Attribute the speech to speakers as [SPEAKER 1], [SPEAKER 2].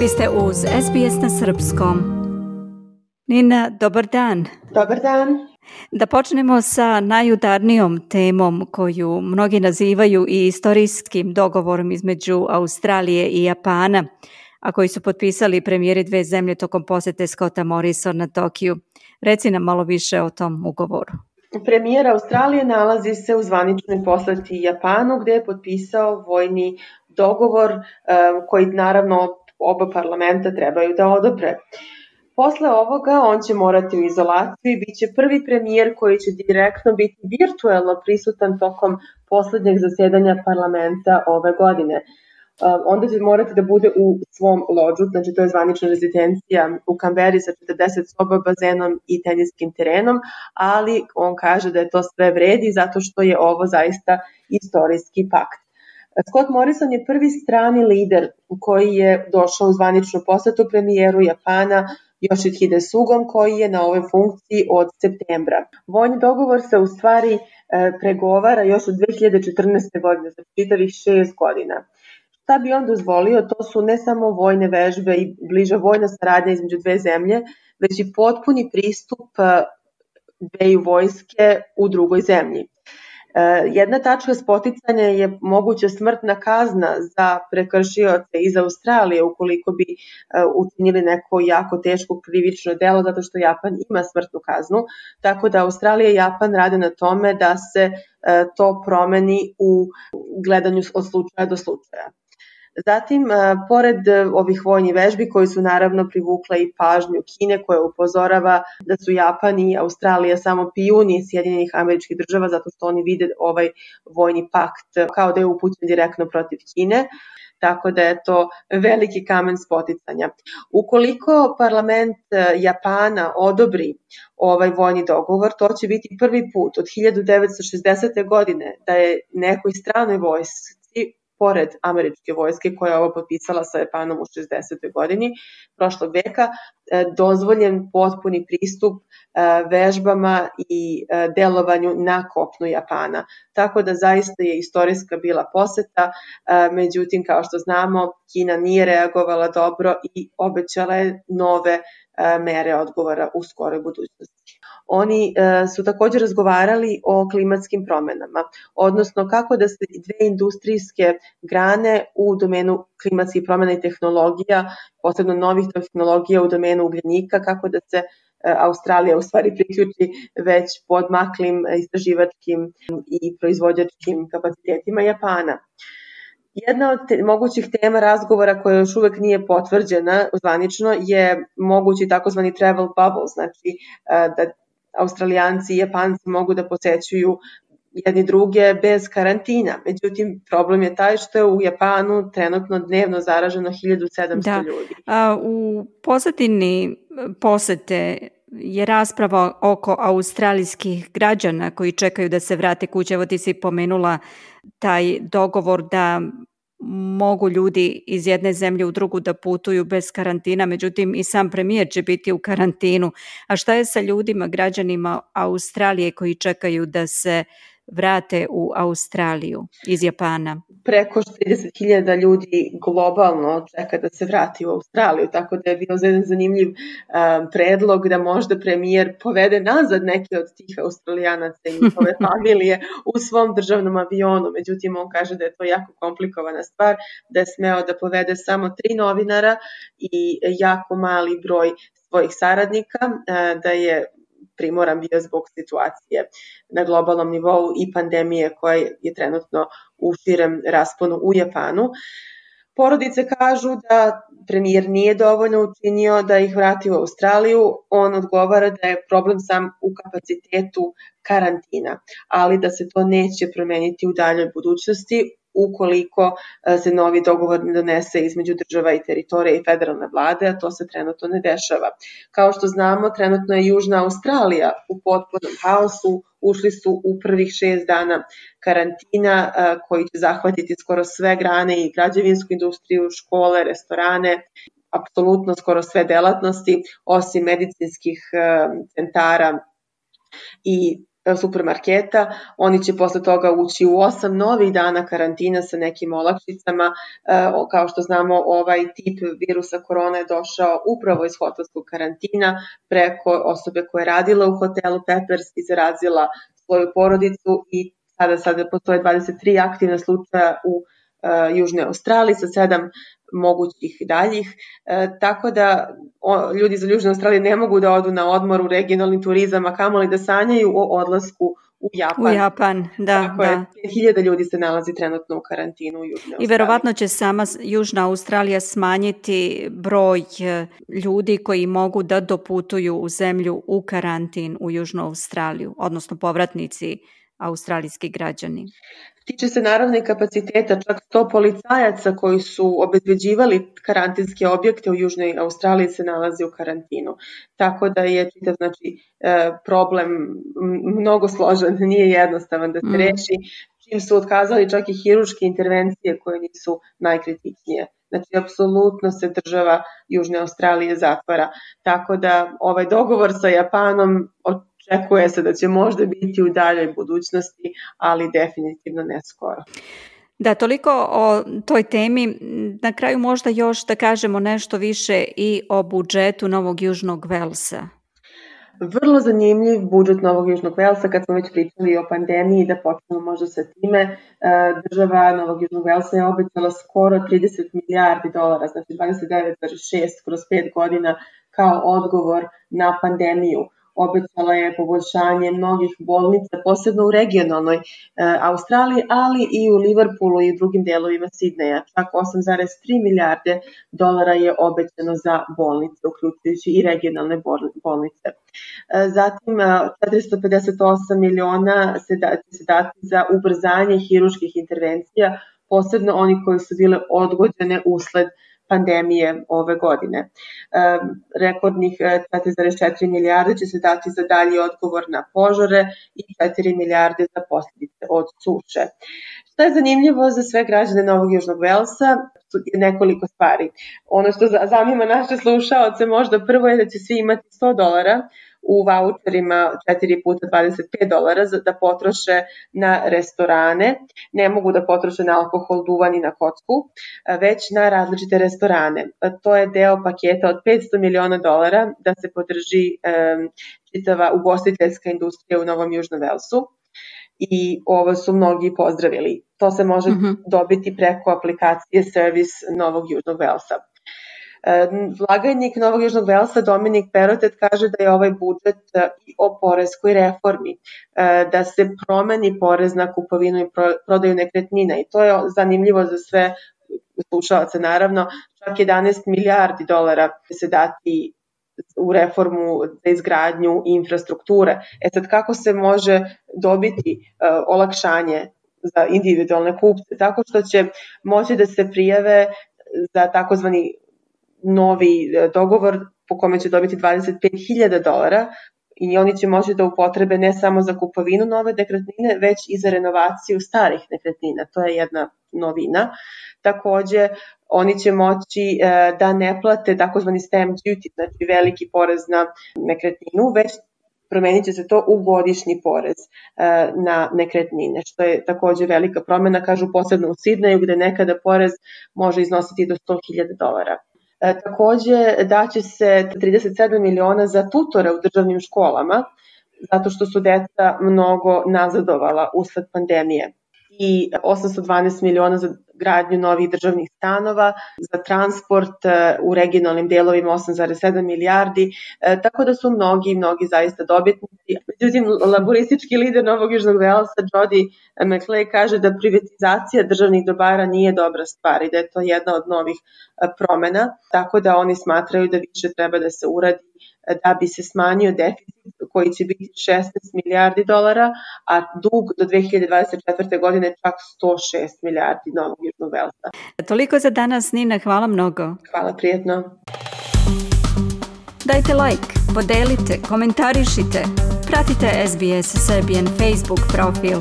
[SPEAKER 1] Vi ste uz SBS na srpskom. Nina, dobar dan.
[SPEAKER 2] Dobar dan.
[SPEAKER 1] Da počnemo sa najudarnijom temom koju mnogi nazivaju i istorijskim dogovorom između Australije i Japana, a koji su potpisali premijeri dve zemlje tokom posete Scotta Morrisona Tokiju. Reci nam malo više o tom ugovoru.
[SPEAKER 2] Premijer Australije nalazi se u zvaničnoj poseti Japanu gdje je potpisao vojni dogovor koji naravno oba parlamenta trebaju da odobre. Posle ovoga on će morati u izolaciju i bit će prvi premijer koji će direktno biti virtuelno prisutan tokom poslednjeg zasedanja parlamenta ove godine. Onda će morati da bude u svom lodžu, znači to je zvanična rezidencija u Kamberi sa 40 soba, bazenom i teniskim terenom, ali on kaže da je to sve vredi zato što je ovo zaista istorijski pakt. Scott Morrison je prvi strani lider koji je došao u zvaničnu posetu premijeru Japana Yoshihide Sugom koji je na ovoj funkciji od septembra. Vojni dogovor se u stvari pregovara još od 2014. godine, za čitavih 6 godina. Šta bi on dozvolio? To su ne samo vojne vežbe i bliža vojna saradnja između dve zemlje, već i potpuni pristup dveju vojske u drugoj zemlji. Jedna tačka spoticanja je moguća smrtna kazna za prekršioce iz Australije ukoliko bi učinili neko jako teško krivično delo zato što Japan ima smrtnu kaznu, tako da Australija i Japan rade na tome da se to promeni u gledanju od slučaja do slučaja. Zatim, pored ovih vojnih vežbi koji su naravno privukle i pažnju Kine koja upozorava da su Japan i Australija samo pijuni Sjedinjenih Američkih Država zato što oni vide ovaj vojni pakt kao da je upućen direktno protiv Kine, tako da je to veliki kamen spoticanja. Ukoliko parlament Japana odobri ovaj vojni dogovor, to će biti prvi put od 1960. godine da je nekoj stranoj vojsci pored američke vojske koja je ovo potpisala sa Japanom u 60. godini prošlog veka, dozvoljen potpuni pristup vežbama i delovanju na kopnu Japana. Tako da zaista je istorijska bila poseta, međutim kao što znamo Kina nije reagovala dobro i obećala je nove mere odgovora u skoroj budućnosti. Oni su također razgovarali o klimatskim promenama, odnosno kako da se dve industrijske grane u domenu klimatskih promena i tehnologija, posebno novih tehnologija u domenu ugljenika, kako da se Australija u stvari priključi već podmaklim istraživačkim i proizvođačkim kapacitetima Japana. Jedna od mogućih tema razgovora koja još uvek nije potvrđena zvanično je mogući takozvani travel bubble, znači da Australijanci i Japanci mogu da posećuju jedni druge bez karantina. Međutim, problem je taj što je u Japanu trenutno dnevno zaraženo 1700 ljudi.
[SPEAKER 1] U pozadini posete je rasprava oko australijskih građana koji čekaju da se vrate kuće. Evo ti si pomenula taj dogovor da mogu ljudi iz jedne zemlje u drugu da putuju bez karantina, međutim i sam premijer će biti u karantinu. A šta je sa ljudima, građanima Australije koji čekaju da se vrate u Australiju iz Japana?
[SPEAKER 2] Preko 30.000 ljudi globalno čeka da se vrati u Australiju, tako da je bio jedan zanimljiv predlog da možda premijer povede nazad neke od tih Australijanaca i njihove familije u svom državnom avionu. Međutim, on kaže da je to jako komplikovana stvar, da je smeo da povede samo 3 novinara i jako mali broj svojih saradnika, da je primoran bio zbog situacije na globalnom nivou i pandemije koja je trenutno u širem rasponu u Japanu. Porodice kažu da premijer nije dovoljno učinio da ih vrati u Australiju. On odgovara da je problem sam u kapacitetu karantina, ali da se to neće promeniti u daljoj budućnosti ukoliko se novi dogovor ne donese između država i teritorija i federalne vlade, a to se trenutno ne dešava. Kao što znamo, trenutno je Južna Australija u potpunom haosu, ušli su u prvih 6 dana karantina koji će zahvatiti skoro sve grane i građevinsku industriju, škole, restorane, apsolutno skoro sve delatnosti, osim medicinskih centara i supermarketa. Oni će posle toga ući u 8 novih dana karantina sa nekim olakšicama. Kao što znamo, ovaj tip virusa korona je došao upravo iz hotelskog karantina preko osobe koja je radila u hotelu Peppers i zarazila svoju porodicu i sada postoje 23 aktivna slučaja u Južnoj Australiji sa 7 mogućih daljih, tako da ljudi iz Južne Australije ne mogu da odu na odmor u regionalni turizam, a kamoli da sanjaju o odlasku u Japan.
[SPEAKER 1] U Japan, da.
[SPEAKER 2] Tako je, 5000 ljudi se nalazi trenutno u karantinu u Južnoj Australiji.
[SPEAKER 1] I verovatno će sama Južna Australija smanjiti broj ljudi koji mogu da doputuju u zemlju u karantin u Južnu Australiju, odnosno povratnici australijski građani.
[SPEAKER 2] Tiče se naravno i kapaciteta, čak 100 policajaca koji su obezbeđivali karantinske objekte u Južnoj Australiji se nalazi u karantinu. Tako da je čitav problem mnogo složen, nije jednostavan da se reši, čim su otkazali čak i hiruške intervencije koje nisu najkritičnije. Znači, apsolutno se država Južne Australije zatvara. Tako da ovaj dogovor sa Japanom očekuje se da će možda biti u daljoj budućnosti, ali definitivno ne skoro.
[SPEAKER 1] Da, toliko o toj temi. Na kraju možda još da kažemo nešto više i o budžetu Novog Južnog Velsa.
[SPEAKER 2] Vrlo zanimljiv budžet Novog Južnog Velsa, kad smo već pričali o pandemiji, da počnemo možda sa time. Država Novog Južnog Velsa je obećala skoro 30 milijardi dolara, znači 29,6 kroz 5 godina kao odgovor na pandemiju. Obećala je poboljšanje mnogih bolnica, posebno u regionalnoj Australiji, ali i u Liverpoolu i u drugim delovima Sidneja. Čak 8,3 milijarde dolara je obećano za bolnice, uključujući i regionalne bolnice. Zatim 458 miliona se dati za ubrzanje hiruških intervencija, posebno oni koji su bile odgođene usled pandemije ove godine. Rekordnih 4,4 milijarde će se dati za dalji odgovor na požare i 4 milijarde za posljedice od suše. Šta je zanimljivo za sve građane Novog Južnog Velsa je nekoliko stvari. Ono što zanima naše slušaoce možda prvo je da će svi imati $100 u vaučerima 4 puta $25 da potroše na restorane. Ne mogu da potroše na alkohol, duvan i na kocku, već na različite restorane. To je deo paketa od $500 miliona da se podrži čitava ugostiteljska industrija u Novom Južnom Velsu. I ovo su mnogi pozdravili. To se može dobiti preko aplikacije Service Novog Južnog Velsa. Blagajnik Novog Južnog Velsa Dominik Perotet kaže da je ovaj budžet i o poreskoj reformi, da se promeni porez na kupovinu i prodaju nekretnina i to je zanimljivo za sve slušalce naravno, čak 11 milijardi dolara će se dati u reformu za izgradnju infrastrukture. Sad kako se može dobiti olakšanje za individualne kupce? Tako što će moći da se prijave za takozvani novi dogovor po kome će dobiti $25,000 i oni će moći da upotrebe ne samo za kupovinu nove nekretnine, već i za renovaciju starih nekretnina. To je jedna novina. Takođe, oni će moći da ne plate takozvani stamp duty, znači veliki porez na nekretninu, već promenit će se to u godišnji porez na nekretnine, što je takođe velika promena, kažu posebno u Sidneju, gde nekada porez može iznositi do $100,000. Takođe daće se 37 miliona za tutore u državnim školama, zato što su deca mnogo nazadovala usled pandemije. I 812 miliona za gradnju novih državnih stanova, za transport u regionalnim delovima 8,7 milijardi, tako da su mnogi zaista dobitnici. Međutim, laboristički lider Novog Južnog Velsa, Jody McLeay, kaže da privatizacija državnih dobara nije dobra stvar i da je to jedna od novih promena, tako da oni smatraju da više treba da se uradi da bi se smanjio deficit koji će biti 16 milijardi dolara, a dug do 2024. godine čak 106 milijardi Novog Južnog Velsa.
[SPEAKER 1] Toliko za danas, Nina, hvala mnogo.
[SPEAKER 2] Hvala, prijetno.
[SPEAKER 1] Dajte like, podelite, komentarišite, pratite SBS Serbian Facebook profil.